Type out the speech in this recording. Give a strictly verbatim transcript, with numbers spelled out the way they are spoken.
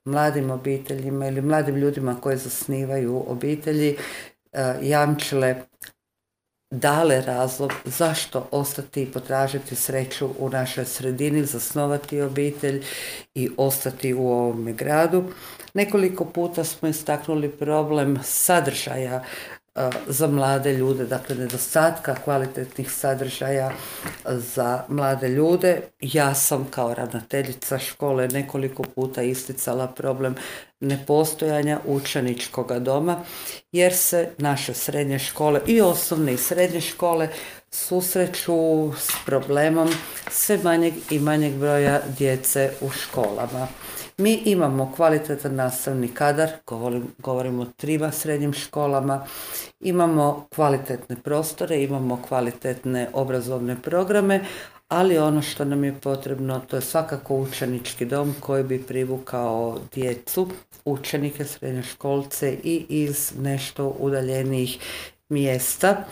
mladim obiteljima ili mladim ljudima koji zasnivaju obitelji jamčile, dale razlog zašto ostati i potražiti sreću u našoj sredini, zasnovati obitelj i ostati u ovome gradu. Nekoliko puta smo istaknuli problem sadržaja za mlade ljude, dakle nedostatka kvalitetnih sadržaja za mlade ljude. Ja sam kao ravnateljica škole nekoliko puta isticala problem nepostojanja učeničkog doma, jer se naše srednje škole i osnovne i srednje škole susreću s problemom sve manjeg i manjeg broja djece u školama. Mi imamo kvalitetan nastavni kadar, govorim, govorimo o trima srednjim školama, imamo kvalitetne prostore, imamo kvalitetne obrazovne programe, ali ono što nam je potrebno, to je svakako učenički dom koji bi privukao djecu, učenike, srednjoškolce i iz nešto udaljenijih mjesta.